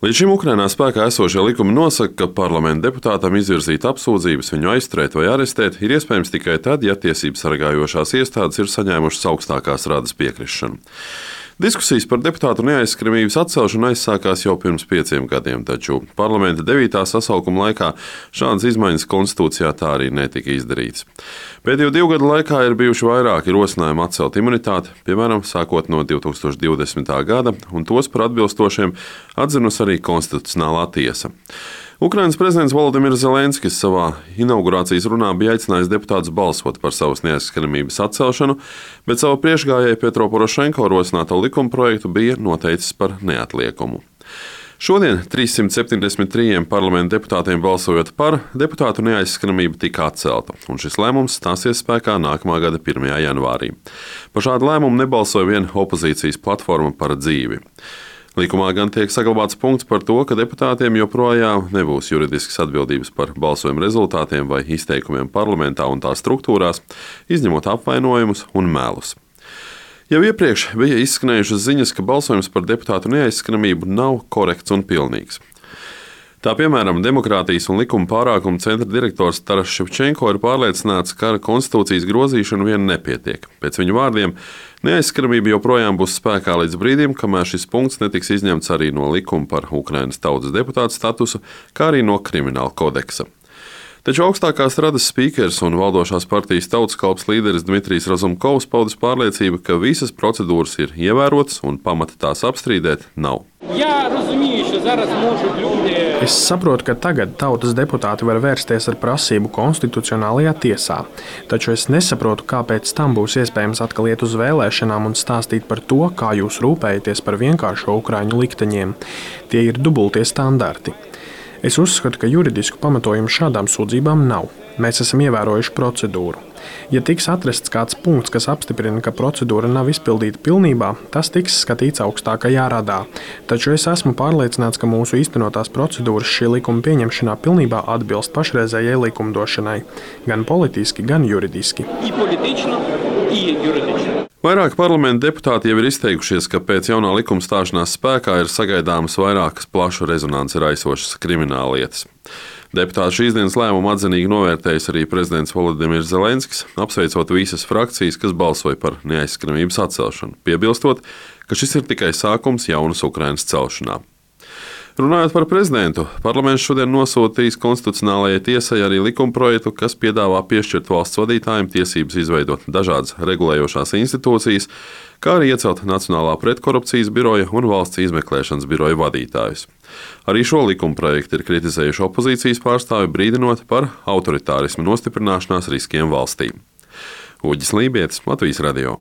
Līdz šim Ukrainā spēkā esošie likumi nosaka, ka parlamenta deputātam izvirzīt apsūdzības, viņu aizturēt vai arestēt ir iespējams tikai tad, ja tiesības sargājošās iestādes ir saņēmušas augstākās radas piekrišanu. Diskusijas par deputātu neaizskaramības atcelšanu aizsākās jau pirms 5 gadiem, taču parlamenta 9. sasaukuma laikā šādas izmaiņas konstitūcijā tā arī netika izdarītas. Pēdējo 2 gadu laikā ir bijuši vairāki rosinājumi atcelt imunitāti, piemēram, sākot no 2020. gada, un tos par atbilstošiem atzinusi arī Konstitucionālā tiesa. Ukrainas prezidents Volodimirs Zelenskis savā inaugurācijas runā bija aicinājis deputātus balsot par savas neaizskaramības atcelšanu, bet savu priekšgājēju Petro Porošenko rosināto likumprojektu bija noteicis par neatliekumu. Šodien 373 parlamenta deputātiem balsojot par, deputātu neaizskaramība tika atcelta, un šis lēmums stāsies spēkā nākamā gada 1. janvārī. Par šādu lēmumu nebalsoja vien opozīcijas platforma Par dzīvi. Likumā gan tiek saglabāts punkts par to, ka deputātiem joprojām nebūs juridiskas atbildības par balsojumu rezultātiem vai izteikumiem parlamentā un tā struktūrās, izņemot apvainojumus un melus. Jau iepriekš bija izskanējušas ziņas, ka balsojums par deputātu neaizskaramību nav korekts un pilnīgs. Tā piemēram, Demokrātijas un likuma pārākuma centra direktors Taras Ševčenko ir pārliecināts, ka ar konstitūcijas grozīšanu vien nepietiek. Pēc viņa vārdiem, neaizskaramība joprojām būs spēkā līdz brīdim, kamēr šis punkts netiks izņemts arī no likuma par Ukrainas tautas deputātu statusu, kā arī no krimināla kodeksa. Taču augstākās radas spīkers un valdošās partijas Tautas kalps līderis Dmitrijs Razumkovs paudis pārliecību, ka visas procedūras ir ievērotas un pamata tās apstrīdēt nav. Es saprotu, ka tagad tautas deputāti var vērsties ar prasību konstitucionālajā tiesā, taču es nesaprotu, kāpēc tam būs iespējams atkal iet uz vēlēšanām un stāstīt par to, kā jūs rūpējaties par vienkāršo ukraiņu likteņiem. Tie ir dubultie standarti. Es uzskatu, ka juridisku pamatojumu šādām sūdzībām nav. Mēs esam ievērojuši procedūru. Ja tiks atrasts kāds punkts, kas apstiprina, ka procedūra nav izpildīta pilnībā, tas tiks skatīts augstākajā radā. Taču es esmu pārliecināts, ka mūsu īstenotās procedūras šī likuma pieņemšanā pilnībā atbilst pašreizējai likumdošanai, gan politiski, gan juridiski. Vairāki parlamenta deputāti jau ir izteikušies, ka pēc jaunā likuma stāšanās spēkā ir sagaidāmas vairākas plašu rezonanci raisošas krimināllietas. Deputātu šīs dienas lēmumu atzinīgi novērtējis arī prezidents Volodimirs Zelenskis, apsveicot visas frakcijas, kas balsoja par neaizskaramības atcelšanu, piebilstot, ka šis ir tikai sākums jaunas Ukrainas celšanā. Runājot par prezidentu, parlaments šodien nosūtīs Konstitucionālajai tiesai arī likumprojektu, kas piedāvā piešķirt valsts vadītājiem tiesības izveidot dažādas regulējošās institūcijas, kā arī iecelt Nacionālā pretkorupcijas biroja un valsts izmeklēšanas biroja vadītājus. Arī šo likumprojektu ir kritizējuši opozīcijas pārstāvi, brīdinot par autoritārismu nostiprināšanās riskiem valstī. Uģis Lībietis, Latvijas radio.